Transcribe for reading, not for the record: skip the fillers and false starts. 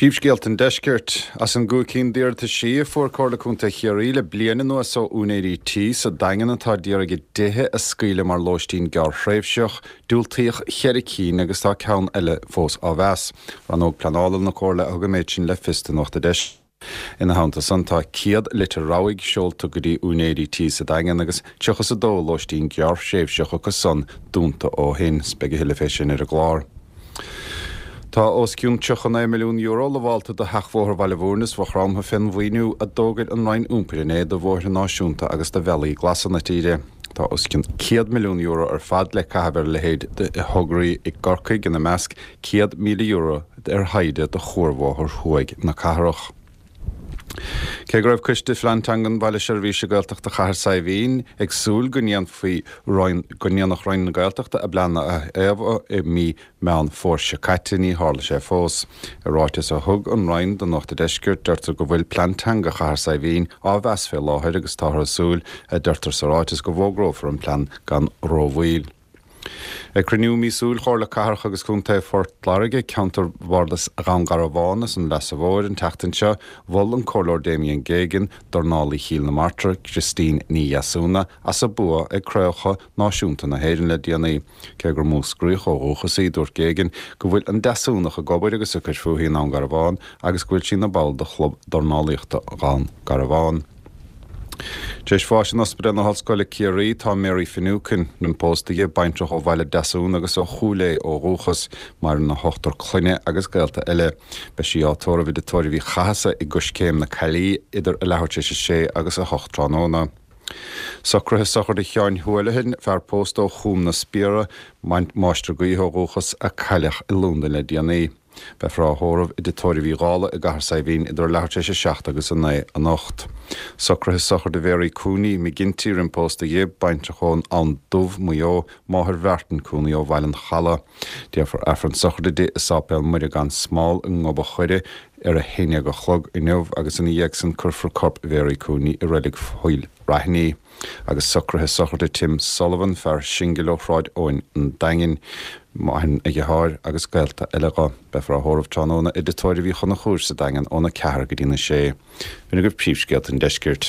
Príomhscéalta an Deiscirt. As an gcúig cinn d'iarrataisí a fuair Comhairle Contae Chiarraí le bliain anuas ó úinéirí tí sa Daingean atá d'iarraidh a dtithe a scaoileadh mar lóistín gearrthréimhseach, diúltaíodh cheithre cinn agus tá ceann eile fós á mheas. Rannóg Pleanála na Comhairle a thug an méid sin le fios do Nuacht an Deiscirt. Ina theannta san, tá 100 litir rabhaidh seolta go dtí úinéirí tí sa Daingean agus 32 lóistín gearrthréimhseach acu san dúnta ó shin. Beidh a thuilleadh fé sin ar an gclár. Tá os cionn €39 milliún lamhálta do Sheachbhóthar Bhaile Bhúirne is Mhaigh Chromtha fén mhaoiniú a d'fhógair an Roinn Iompair inné do bhóithre náisiúnta agus do bhealaí glasa na tíre. Tá os cionn €100 milliún ar fad le caitheamh ar a leithéid de thograí i gCorcaigh, ina measc €100,000 ar thaighde do Chuarbhóthar Thuaidh na cathrach. Cé go raibh Coiste Phlean Teangan Bhaile Seirbhíse Gaeltachta Chathair Saidhbhín ag súil go ndéanfaí go ndéanfadh Roinn na Gaeltachta a bplean a fhaomhadh i mí Meán Fómhair seo caite, ní tharla sé fós. I ráiteas a thug an Roinn do Nuacht an Deiscirt, deirtear go bhfuil Plean Teanga Chathair Saidhbhín á mheas fé láthair agus táthar ag súil, a deirtear sa ráiteas, go bhfógrófar an plean gan rómhoill. Ag cruinniú míosúil Chomhairle Cathrach agus Contae Phort Láirge, ceantar Bhardas Dhún Garbhán is an Leasa Mhóir an tseachtain seo, mhol an Comhairleoir Damien Geoghegan dornálaí Chill na Martra, Christine Ní Dheasúna, as a bua ag Craobhacha Náisiúnta na hÉireann le déanaí. Cé gur Múscraíoch ó dhúchas í, dúirt Geoghegan go bhfuil an Deasúnach ag obair agus ag cur fúithi i nDún Garbhán agus go bhfuil sí ina ball de Chlub Dornálaíochta Dhún Garbhán. Tar éis bháis in Ospidéal na hOllscoile Ciarraí tá Mary Finucane, roim pósta di, baintreach ó Bhaile Deasún agus ó Chúil Aodha ó dhúchas. Maireann a hochtar clainne agus gaolta eile. Beidh sí á tórramh i dTigh Tórraimh Uí Chathasaigh i gCoiscéim na Caillí idir a leathuair tar éis a sé agus a hocht tráthnóna. Socruithe sochraide Sheáin Houlihan, fear pósta ó Chúm na Spiara, máistir gaoithe ó dhúchas, a cailleadh i Londain le déanaí. Beifear á thórramh i dTigh Tórraimh Uí Dhálaigh i gCathair Saidhbhín idir a leathuair tar éis 7 agus 9 anocht. Socruithe sochraide Mhary Cooney, McGinty, roim pósta dhi, baintreach ón Abhainn Dubh, Maigh Eo, máthair Mhartin Cooney ó Bhaile an Chalaidh. Déarfar Aifreann sochraide di i Sáipéal Muire gan Smál i nGob a' Choire ar a haon déag a chlog inniu agus ina dhiaidh san cuirfear corp Mhary Cooney i Reilig Phoill Raithní. Agus socruithe sochraide Tim Sullivan, fear singil ó Shráid Eoin an Daingin, maireann a dheartháir agus gaolta eile dho. Beifear á thórramh tráthnóna i dTigh Tórraimh Uí Chonchúir sa Daingean óna ceathair go dtína sé. B'in agaibh príomhscéalta an deiscirt.